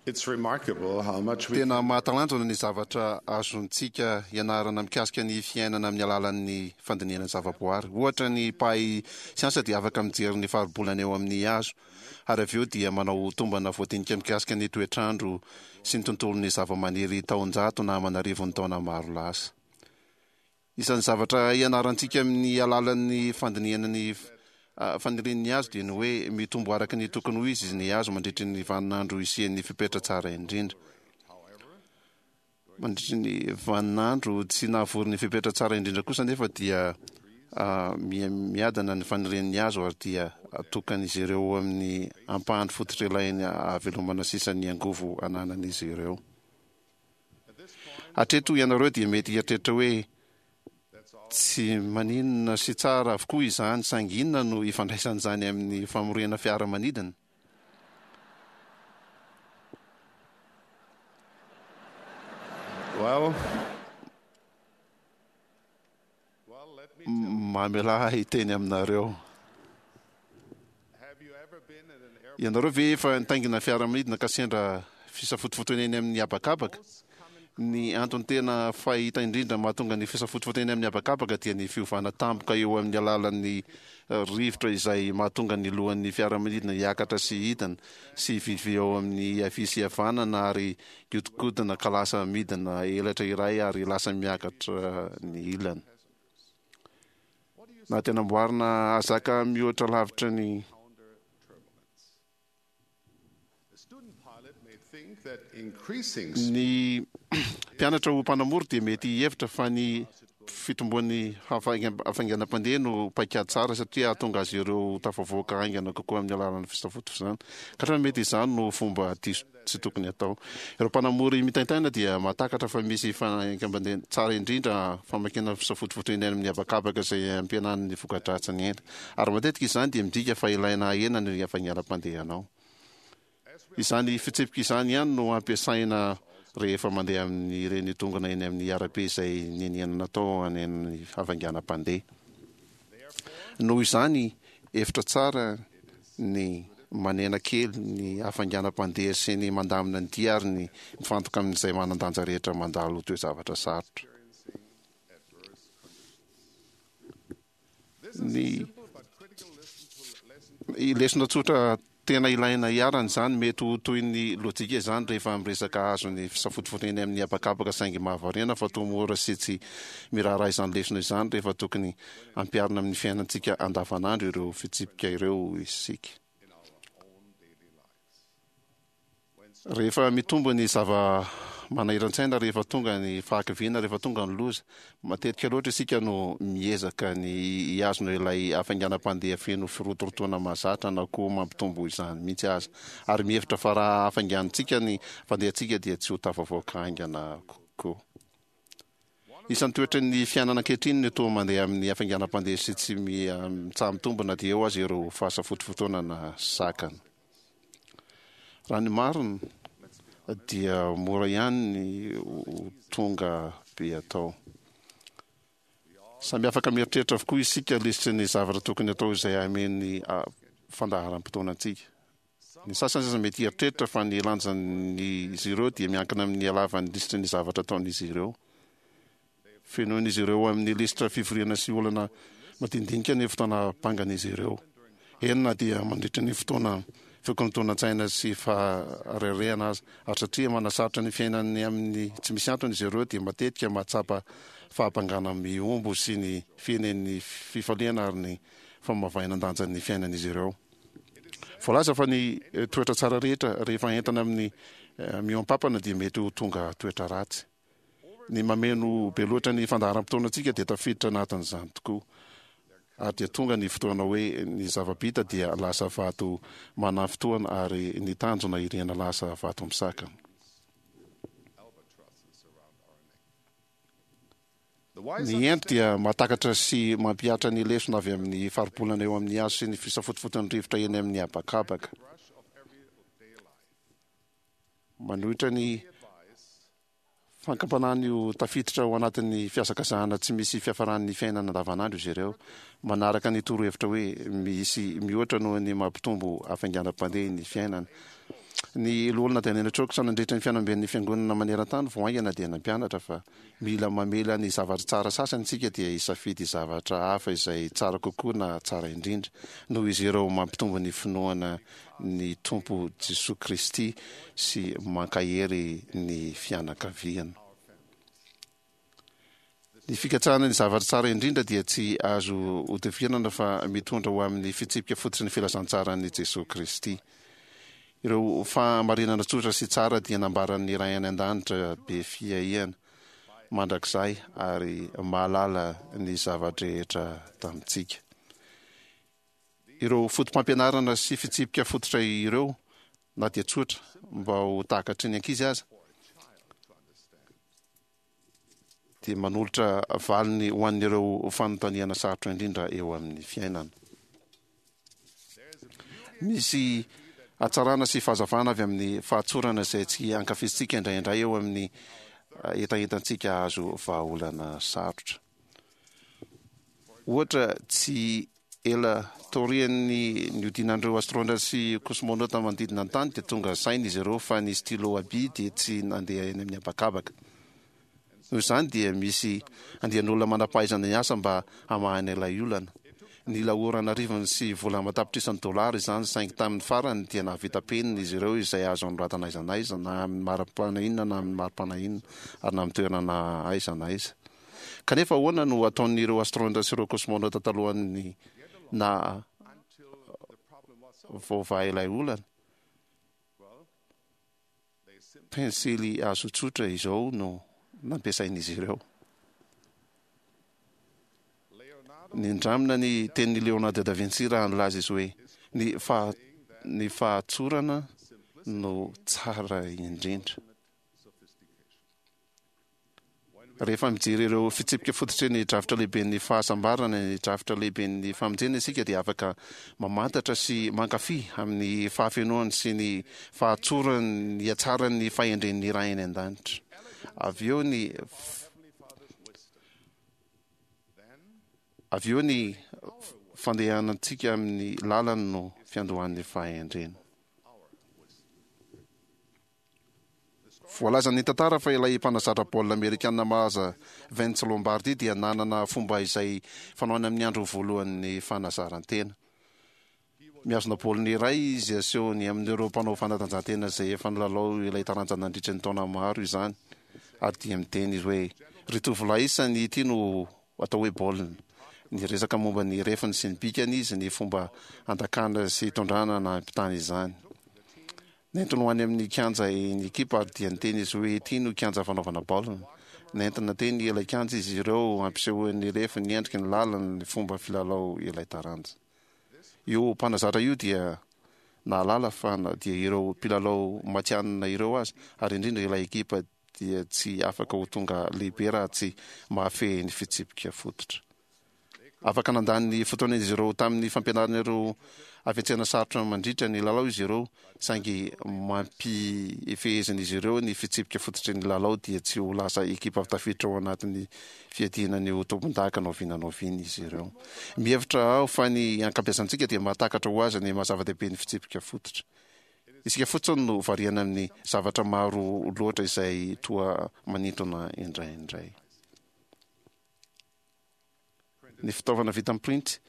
Tena mahatalanjona ny zavatra azontsika ianarana mikasika ny fiainana amin'ny alalan'ny fandinihana zavaboary. Ohatra, ny mpahay siansa dia afaka mijery ny faribolana eo amin'ny hazo, ary avy eo dia manao tombana voadinika mikasika ny toetr'andro sy ny tontolon'ny zavamaniry taonjato na aman'arivony taona maro lasa. Isan'ny zavatra ianarantsika amin'ny alalan'ny fandinihana ny fanirian'ny hazo dia ny hoe mitombo araka ny tokony ho izy ny hazo mandritry ny vaninandro isian'ny fepetra tsara indrindra. Mandritry ny vaninandro tsy nahavory ny fepetra tsara indrindra kosa anefa dia miadana ny fanirian'ny hazo ary dia atokan'izy ireo amin'ny ampahany fototra ilainy hahavelomana sisa ny angovo ananan'izy ireo. Hatreto ianareo dia mety hieritreritra hoe, Tsy maninona sy tsara avokoa izany, saingy inona no ifandraisan'izany amin'ny famoriana fiaramanidina? Well. Mamelà ahy hiteny aminareo. Ianareo ve efa nitaingina fiaramanidina ka sendra fisafotofotoana eny amin'ny habakabaka? Ny antony tena fahita indrindra mahatonga ny fisafotofotoana eny amin'ny habakabaka dia ny fiovana tampoka eo amin'ny alalan'ny rivotra izay mahatonga ny lohan'ny fiaramanidina hiakatra sy hidina sy hivilivily eo amin'ny havia sy havanana ary Mihodinkodina ka lasa midina elatra iray ary lasa miakatra ny ilany. Na dia namboarina hahazaka mihoatra lavitra ny. Ny mpianatra ho mpanamory dia mety hihevitra fa ny fitomboan'ny hafainganam-pandeha no paikady tsara satria hahatonga azy ireo ho tafavoaka haingana kokoa amin'ny alalan'ny fisafotofozana. Kanefa mety izany no fomba diso tsy tokony hatao. Ireo mpanamory mitaintaina dia mahatakatra fa misy fainganam-pandeha tsara indrindra famakiana fisafotofoto eny amin'ny habakabaka izay ampihenany ny voka-dratsiny enta. Ary matetika izany dia midika fa ilaina hahena ny hafainganam-pandehanao. Izany fitsipika izany ihany no ampiasaina rehefa mandeha amin'ireny dongona eny amin'ny arabe izay niniana natao any amin'ny hafainganam-pandeha. Noho izany, hevitra tsara ny manena kely ny hafainganam-pandeha sy ny mandamina ny dia ary ny mifantoka amin'izay manan-danja rehetra mandalo toe-javatra sarotra. Ny lesona tsotra tena ilaina iharana izany, mety ho toy ny lojika izany rehefa miresaka hazo ny fisafotofotoana eny amin'ny habakabaka saingy mahavariana fa toa mora sy tsy miraharaha izany lesona izany rehefa tokony hampiharina amin'ny fiainantsika andavanandro ireo fitsipika ireo isika. Rehefa mitombo ny zava-manahiran-tsaina, rehefa tonga ny fahakiviana, rehefa tonga ny loza, matetika loatra isika no miezaka ny hihazona ilay hafainganam-pandeha feno firotorotoana mahazatra na koa mampitombo izany mihitsy aza, ary mihevitra fa raha hafainganintsika ny fandehantsika dia tsy ho tafavoaka haingana kokoa. Isan'ny toetry ny fiainana ankehitriny ny toa mandeha amin'ny hafainganam-pandeha sy tsy mitsaha-mitombo na dia eo aza ireo fahasafotofotoana na sakana. Raha ny marina dia mora ihany ny ho tonga be atao. Samy afaka mieritreritra avokoa isika lisitry ny zavatra tokony atao izay hameno ny fandaharam-potoana antsika. Ny sasany aza mety hieritreritra fa ny lanjan'izy ireo dia miankina amin'ny halavan'ny lisitry ny zavatra ataon'izy ireo. Fenoin'izy ireo amin'ny lisitra fivoriana sy olana madinidinika ny fotoana bangan'izy ireo, eny na dia mandritra ny fotoana fikorontanan-tsaina sy faharerehana aza. Ary satria manasarotra ny fiainany amin'ny tsy misy antony izy ireo dia matetika mahatsapa fahabangana mihombo sy ny fihenen'ny fifaliana ary ny famavainan-danjan'ny fiainan'izy ireo. Voalaza fa ny toetra tsara rehetra rehefa entina amin'ny mihoam-pampana dia mety ho tonga toetra ratsy. Ny mameno be loatra ny fandaharam-potoanantsika dia tafiditra anatin'izany tokoa. Ary dia tonga ny fotoana hoe ny zava-bita dia lasa vato manafintohana ary ny tanjona iriana lasa vato misakana. Ny hendry dia mahatakatra sy mampihatra ny lesona avy amin'ny faribolana eo amin'ny hazo sy ny fisafotofoton'ny rivotra eny amin'ny habakabaka. Manohitra ny fankampanany ho tafiditra ao anatin'ny fihazakazahana tsy misy fiafaran'ny fiainana andavanandro izy ireo, manaraka ny torohevitra hoe misy mihoatra noho ny mampitombo hafainganam-pandeha ny fiainana. Ny Loholona Daniel Chokes nandritra ny fihaonamben'ny Fiangonana maneran-tany vao haingana dia nampianatra fa mila mamela ny zavatra tsara sasany isika dia hisafidy zavatra hafa izay tsara kokoa na tsara indrindra noho izy ireo mampitombo ny finoana ny Tompo Jesoa Kristy sy mankahery ny fianakaviana. Ny fikatsahana ny zavatra tsara indrindra dia tsy azo hodivirana fa mitondra ho amin'ny fitsipika fototry ny filazantsaran'i Jesoa Kristy. Ireo fahamarinana tsotra sy tsara dia nambaran'ny Ray any An-danitra be fiahiana mandrakizay ary mahalala ny zava-drehetra tamintsika. Ireo fotopampianarana sy fitsipika fototra ireo, na dia tsotra mba ho takatry ny ankizy aza, dia manolotra valiny ho an'ireo fanontaniana sarotra indrindra eo amin'ny fiainana. Misy hatsarana sy fahazavana avy amin'ny fahatsorana izay tsy ankafizintsika indraindray eo amin'ny hetahetantsika hahazo vahaolana sarotra. Ohatra, tsy ela taorian'ny nihodinan'ireo astronautes sy kosmonota manodidina ny tany dia tonga saina izy ireo fa ny stylo à billes dia tsy nandeha eny amin'ny habakabaka. Noho izany dia misy andian'olona manam-pahaizana hiasa mba hamahana ilay olana. Nila ora an'arivony sy vola aman-tapitrisany dolara izany saingy tamin'ny farany dia nahavita penina izy ireo izay azo anoratana aiza na aiza na amin'ny mari-pana inona na amin'ny mari-pana inona ary na amin'ny toerana aiza na aiza. Kanefa ahoana no ataon'ireo astronautes sy ireo cosmonautes talohan'ny naha voavaha ilay olana? Pensily hazo tsotra izao no nampiasain'izy ireo. Nindramina ny tenin'i Leonardo da Vinci raha nilaza izy hoe, Ny faha, ny fahatsorana no tsara indrindra. Rehefa mijery ireo fitsipika fototry ny drafitra lehiben'ny fahasambarana, ny drafitra lehiben'ny famonjena isika dia afaka mamantatra sy mankafy amin'ny fahafenoany sy ny fahatsorany ny hatsaran'ny fahendren'ny Ray any An-danitra. Avy eo ny avy eo ny fandehanantsika amin'ny lalany no fiandohan'ny fahendrena. Voalazan'ny tantara fa ilay mpanazatra baolina amerikana malaza Vince Lombardi dia nanana fomba izay fanaony amin'ny andro voalohan'ny fanazaran-tena. Mihazona baolina iray izy asehony amin'ireo mpanao fanatanjahantena izay efa nilalao ilay taranja nandritra ny taona maro izany ary dia miteny izy hoe, Ry tovolahy isany, ity no atao hoe baolina. Niresaka momba ny refiny sy ny bikany izy, ny fomba handakana sy hitondrana na hampitana izany. Nentiny ho any amin'ny kianja ny ekipa ary dia niteny izy hoe ity no kianja fanaovana baolina. Nentina teny ilay kianja izy ireo hampisehoany ny refy, ny endriky ny lalany, ny fomba filalao ilay taranja. Io mpanazatra io dia nahalala fa na dia ireo mpilalao matihanina ireo aza, ary indrindra ilay ekipa dia tsy afaka ho tonga lehibe raha tsy mahafehy ny fitsipika fototra. Afaka nandany ny fotoan'izy ireo tamin'ny fampianarana ireo hafetsena sarotra mandritra ny lalao izy ireo, saingy mampifehezin'izy ireo ny fitsipika fototry ny lalao dia tsy ho lasa ekipa tafiditra ao anatin'ny fiadiana ny ho tompondaka na oviana na oviana izy ireo. Mihevitra aho fa ny ankabeazantsika dia mahatakatra ho azy ny maha-zava-dehibe ny fitsipika fototra. Isika fotsiny no variana amin'ny zavatra maro loatra izay toa manintona indraindray. Ny fitaovana vita amin'ny printy,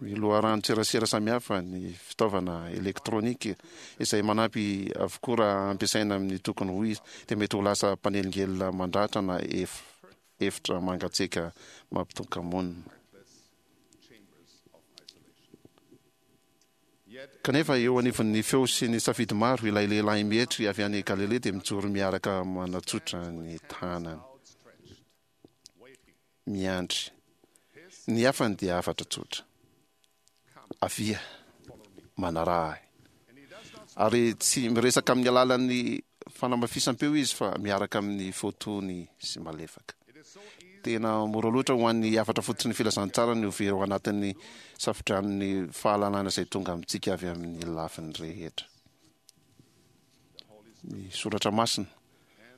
ny loharanon-tserasera samihafa, ny fitaovana elektronika izay manampy avokoa raha ampiasaina amin'ny tokony ho izy, dia mety ho lasa mpanelingelina mandratra na efitra mangatsiaka mampitoka-monina. Kanefa eo anivon'ny feo sy ny safidy maro, ilay lehilahy mietry avy any Galilia dia mijoro miaraka manatsotra ny tanany. Miandry. Ny hafany dia hafatra tsotra. Avia, manaraha ahy. Ary tsy miresaka amin'ny alalan'ny fanamafisam-peo izy fa miaraka amin'ny feo tony sy malefaka. Tena mora loatra ho an'ny hafatra fototry ny filazantsara ny ho very ao anatin'ny safodranon'ny fahalalana izay tonga amintsika avy amin'ny lafiny rehetra. Ny soratra masina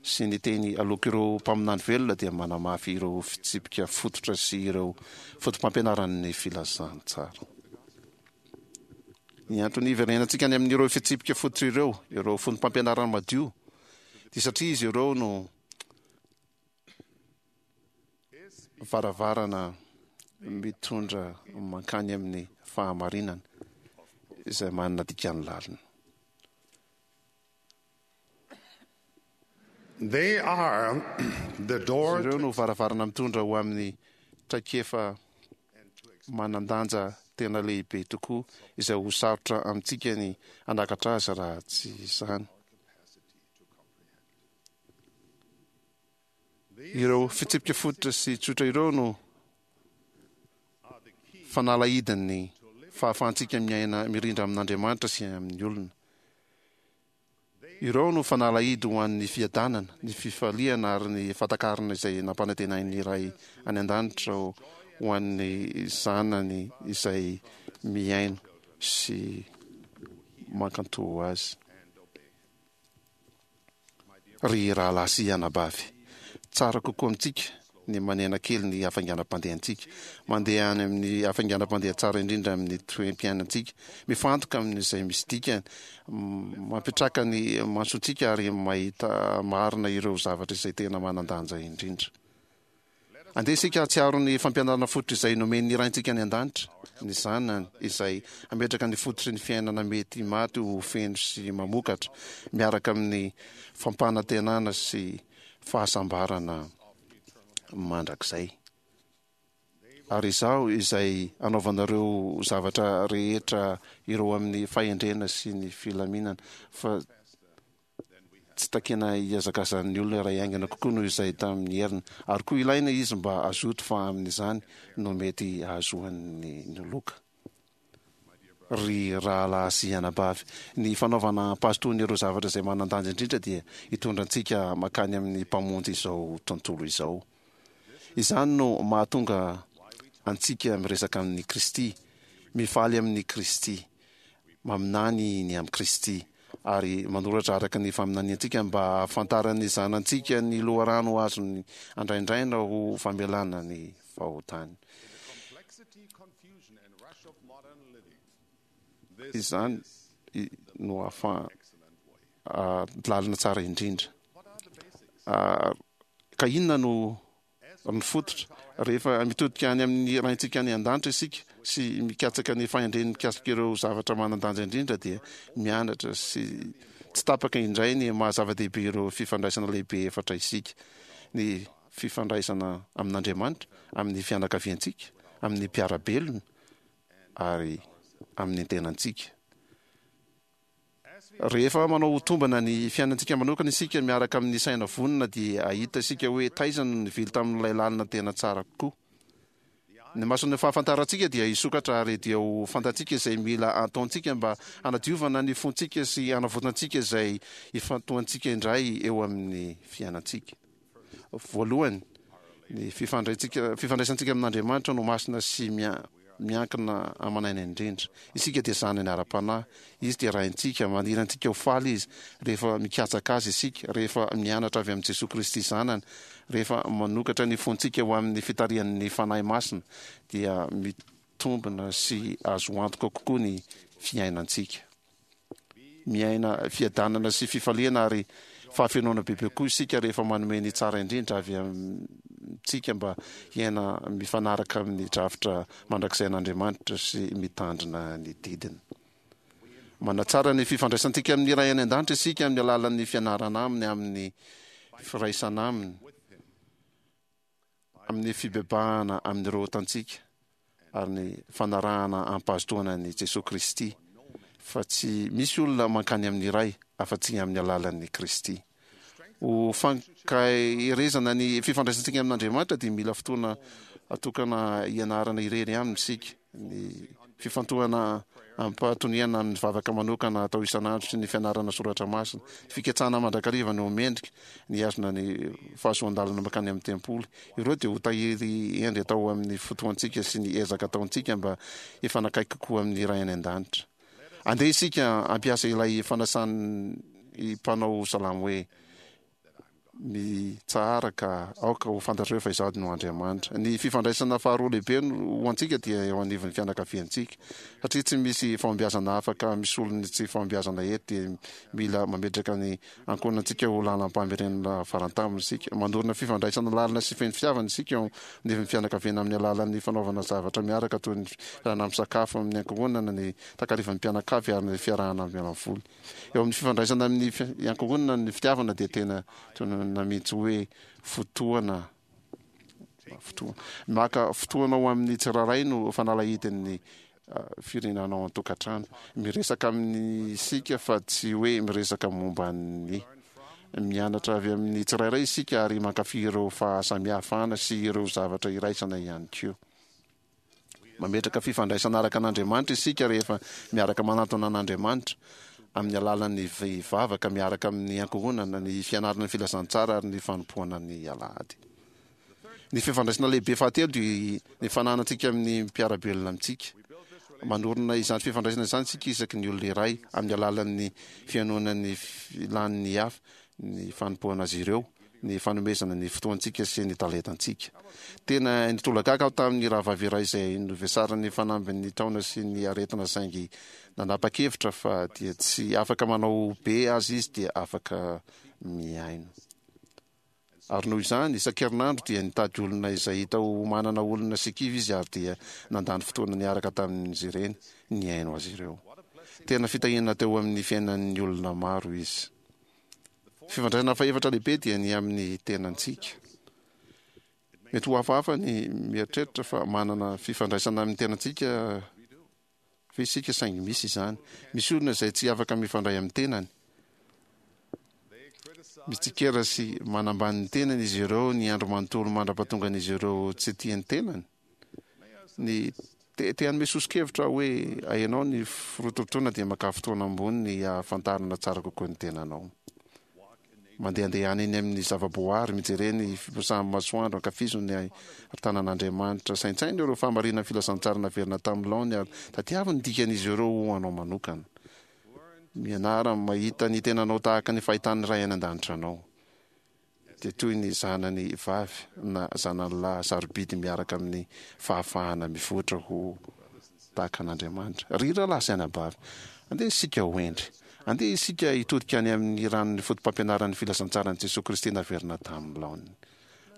sy ny teny aloak'ireo mpaminany velona dia manamafy ireo fitsipika fototra sy ireo fotopampianaran'ny filazantsara. Ny antony hiverenantsika any amin'ireo fitsipika fototra ireo, ireo fonom-pampianarana madio, dia satria izy ireo no varavarana mitondra mankany amin'ny fahamarinana izay manana dikany lalina. They are the door Izy ireo no varavarana mitondra ho amin'ny traikefa manan-danja tena lehibe tokoa izay ho sarotra amintsika ny hanakatra azy raha tsy izany. Ireo fitsipika fototra sy tsotra ireo no fanalahidin'ny fahafahantsika miaina mirindra amin'Andriamanitra sy amin'ny olona. Ireo no fanalahidy ho an'ny fiadanana, ny fifaliana ary ny fahatakarana izay nampanantenain'ny Ray any An-danitra ho an'ny zanany izay mihaino sy mankatò Azy. Ry rahalahy sy anabavy, tsara kokoa amintsika ny manena kely ny hafainganam-pandehantsika, mandeha any amin'ny hafainganam-pandeha tsara indrindra amin'ny toe-piainantsika, mifantoka amin'izay misy dikany, mampitraka ny masontsika ary mahita marina ireo zavatra izay tena manan-danja indrindra. Andeha isika hahatsiaro ny fampianarana fototra izay nomen'ny Raintsika any An-danitra, ny Zanany, izay hametraka ny fototry ny fiainana mety maty ho feno sy mamokatra, miaraka amin'ny fampanantenana sy fahasambarana mandrakizay. Ary Izaho izay anaovanareo zavatra rehetra ireo amin'ny fahendrena sy ny filaminana, fa tsy takiana hihazakazan'ny olona iray haingana kokoa noho izay tamin'ny heriny, ary koa ilaina izy mba hazoto fa amin'izany no mety hahazoany ny loka. Ry rahalahy sy anabavy, ny fanaovana am-pahazotoana ireo zavatra izay manan-danja indrindra dia hitondra antsika mankany amin'ny Mpamonjy izao tontolo izao. Izany no mahatonga antsika miresaka amin'i Kristy, mifaly amin'i Kristy, maminany ny amin'i Kristy, ary manoratra araka ny faminaniantsika mba hahafantaran'ny zanantsika ny loharano azony andraindraina ho famelana ny fahotany. Izany no ahafahan lalana tsara indrindra. Ka inona no ny fototra? Rehefa mitodika any amin'ny Raintsika any an-danitra isika sy mikatsaka ny fahendreny mikasika ireo zavatra manan-danja indrindra dia mianatra sy tsy tapaka indray ny maha zava-dehibe ireo fifandraisana lehibe efatra isika, ny fifandraisana amin'Andriamanitra, amin'ny fianakaviantsika, amin'ny mpiara-belona ary amin'ny tenantsika. Rehefa manao tombana ny fiainantsika manokana isika miaraka amin'ny saina vonona dia hahita isika hoe taiza no nivily tamin'ilay lalana tena tsara kokoa. Ny mason'ny fahafantarantsika dia hisokatra ary dia ho fantatsika izay mila ataontsika mba hanadiovana ny fontsika sy hanavotantsika izay ifantohantsika indray eo amin'ny fiainantsika. Voalohany, ny fifandraisantsika amin'Andriamanitra no masina sy miankina aman'aina indrindra. Isika dia zanany ara-panahy, Izy dia Raintsika, maniry antsika ho faly Izy rehefa mikatsaka Azy isika, rehefa mianatra avy amin'i Jesoa Kristy Zanany, rehefa manokatra ny fontsika ho amin'ny fitarihan'ny Fanahy Masina, dia mitombina sy azo antoka kokoa ny fiainantsika. Miaina fiadanana sy fifaliana ary fahafenoana bebe kokoa isika rehefa manome ny tsara indrindra avy amintsika mba hiaina mifanaraka amin'ny drafitra mandrakizain'Andriamanitra sy mitandrina ny didiny. Manatsara ny fifandraisantsika amin'ny Ray any An-danitra isika amin'ny alalan'ny fianarana Aminy, amin'ny firaisana Aminy, amin'ny fibebahana amin'ireo otantsika ary ny fanarahana am-pahazotoana an'i Jesoa Kristy, fa tsy misy olona mankany amin'ny Ray afa-tsy amin'ny alalan'i Kristy. Ho fankaherezana ny fifandraisantsika amin'Andriamanitra dia mila fotoana atokana hianarana irery aminy isika. Ny fifantohana amim-pahatoniana amin'ny vavaka manokana atao isan'andro sy ny fianarana soratra masina, ny fikatsahana mandrakariva ny ho mendrika, ny hihazona ny fahazoan-dalana mankany amin'ny tempoly, ireo dia ho tahiry hendry atao amin'ny fotoantsika sy ny ezaka ataontsika mba hifanakaiky kokoa amin'ny Ray any An-danitra. Andeha isika hampiasa ilay fanasan'ny mpanao salamo hoe. Mitsahara ka aoka ho fantatrareo fa Izaho no Andriamanitra. Ny fifandraisana faharoa lehibe ho antsika dia eo anivon'ny fianakaviantsika. Satria tsy misy fahombiazana afaka misolo ny tsy fahombiazana eto dia mila mametraka ny ankohonantsika ho lalam-pamerenana farantamony isika. Manorina fifandraisana lalina sy feno fitiavana isika eo anivon'ny fianakaviana amin'ny alalan'ny fanaovana zavatra miaraka toy ny fiarahana misakafo amin'ny ankohonana, ny takarivan'ny mpianakavy ary ny fiarahana miala voly. Eo amin'ny fifandraisana amin'ny ankohonana ny fitiavana dia tena tononina mihitsy hoe fotoana fotoana. Maka fotoana ho amin'ny tsirairay no fanalahidin'ny firenana ao an-tokantrano. Miresaka amin'ny isika fa tsy hoe miresaka momba ny. Mianatra avy amin'ny tsirairay isika ary mankafy ireo fahasamihafana sy ireo zavatra iraisana ihany koa. Mametraka fifandraisana araka an'Andriamanitra isika rehefa miaraka manantona an'Andriamanitra amin'ny alalan'ny vavaka miaraka amin'ny ankohonana, ny fianarana ny filazantsara ary ny fanompoana ny alahady. Ny fifandraisana lehibe fahatelo dia ny fananantsika amin'ny mpiara-belona amintsika. Manorina izany fifandraisana izany isika isaky ny olona iray amin'ny alalan'ny fihainoana ny filan'ny hafa, ny fanompoana azy ireo, ny fanomezana ny fotoantsika sy ny talentantsika. Tena nitolagaga aho tamin'ny rahavavy iray izay novesarin'ny fanambin'ny taona sy ny aretina saingy nanapa-kevitra fa dia tsy afaka manao be aza izy dia afaka mihaino. Ary noho izany, isan-kerinandro dia nitady olona izay hita ho manana olona sy kivy izy ary dia nandany fotoana niaraka tamin'izy ireny nihaino azy ireo. Tena fitahiana teo amin'ny fiainan'ny olona maro izy. Fifandraisana fahefatra lehibe dia ny amin'ny tenantsika. Mety ho hafahafa ny mieritreritra fa manana fifandraisana amin'ny tenantsika ve isika saingy misy izany. Misy olona izay tsy afaka mifandray amin'ny tenany. Mitsikera sy manambany ny tenany izy ireo ny andro manontolo mandra-pahatongan'izy ireo tsy tia ny tenany. Ny te te hanome soso-kevitra aho hoe ahenao ny firotorotoana dia makà fotoana amboniny hahafantarana tsara kokoa ny tenanao. Mandehandehana eny amin'ny zava-boahary, mijere ny fiposahan'ny masoandro, ankafizo ny tanan'Andriamanitra, saintsaino ireo fahamarinan'ny filazantsara naverina tamin'ny laoniny ary tadiavo ny dikan'izy ireo ho anao manokana. Mianara mahita ny tenanao tahaka ny fahitan'ny Ray any An-danitra anao. dia toy ny zanany vavy na zanany lahy sarobidy miaraka amin'ny fahafahana mivoatra ho tahaka an'Andriamanitra. Ry rahalahy sy anabavy, andeha isika ho hendry. Andeha isika hitodika any amin'ny ranon'ny fotopampianaran'ny filazantsaran'i Jesoa Kristy naverina tamin'ny laoniny.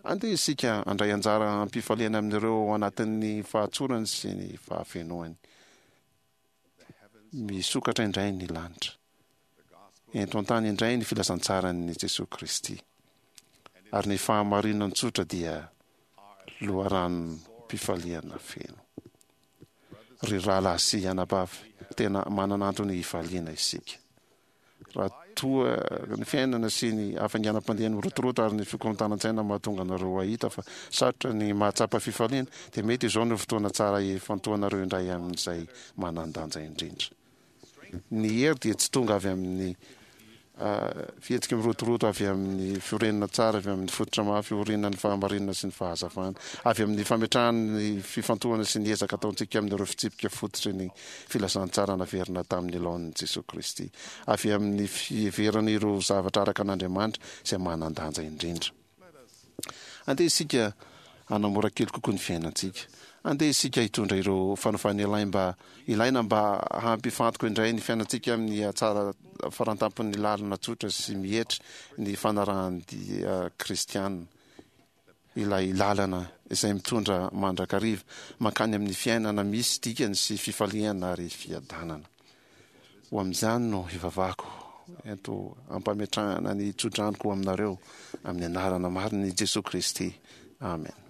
Andeha isika handray anjara am-pifaliana amin'ireo ao anatin'ny fahatsorany sy ny fahafenoany. Misokatra indray ny lanitra. Ento an-tany indray ny filazantsaran'i Jesoa Kristy. Ary ny fahamarinany tsotra dia loharanom-pifaliana feno. Ry rahalahy sy anabavy, tena manana antony hifaliana isika. Raha toa ny fiainana sy ny hafainganam-pandeha mirotoroto ary ny fikorontanan-tsaina mahatonga anareo hahita fa sarotra ny mahatsapa fifaliana, dia mety izao no fotoana tsara hifantohanareo indray amin'izay manan-danja indrindra. Ny hery dia tsy tonga avy amin'ny fihetsika mirotoroto, avy amin'ny fiorenana tsara, avy amin'ny fototra mafy iorenan'ny fahamarinana sy ny fahazavana, avy amin'ny fametrahana ny fifantohana sy ny ezaka ataontsika amin'ireo fitsipika fototry ny filazantsara naverina tamin'ny laoniny Jesoa Kristy, avy amin'ny fiheverana ireo zavatra araka an'Andriamanitra izay manan-danja indrindra. Andeha isika hanamora kely kokoa ny fiainantsika. Andeha isika hitondra ireo fanovana ilain mba ilaina mba hampifantoka indray ny fiainantsika amin'ny hatsara farantampon'ny lalana tsotra sy mietry ny fanarahan-dia kristiana. ilay lalana izay mitondra mandrakariva mankany amin'ny fiainana misy dikany sy fifaliana ary fiadanana. Ho amin'izany no hivavahako, ento ampametrahana ny tsodranoko ho aminareo, amin'ny anarana marin'i Jesoa Kristy. Amen.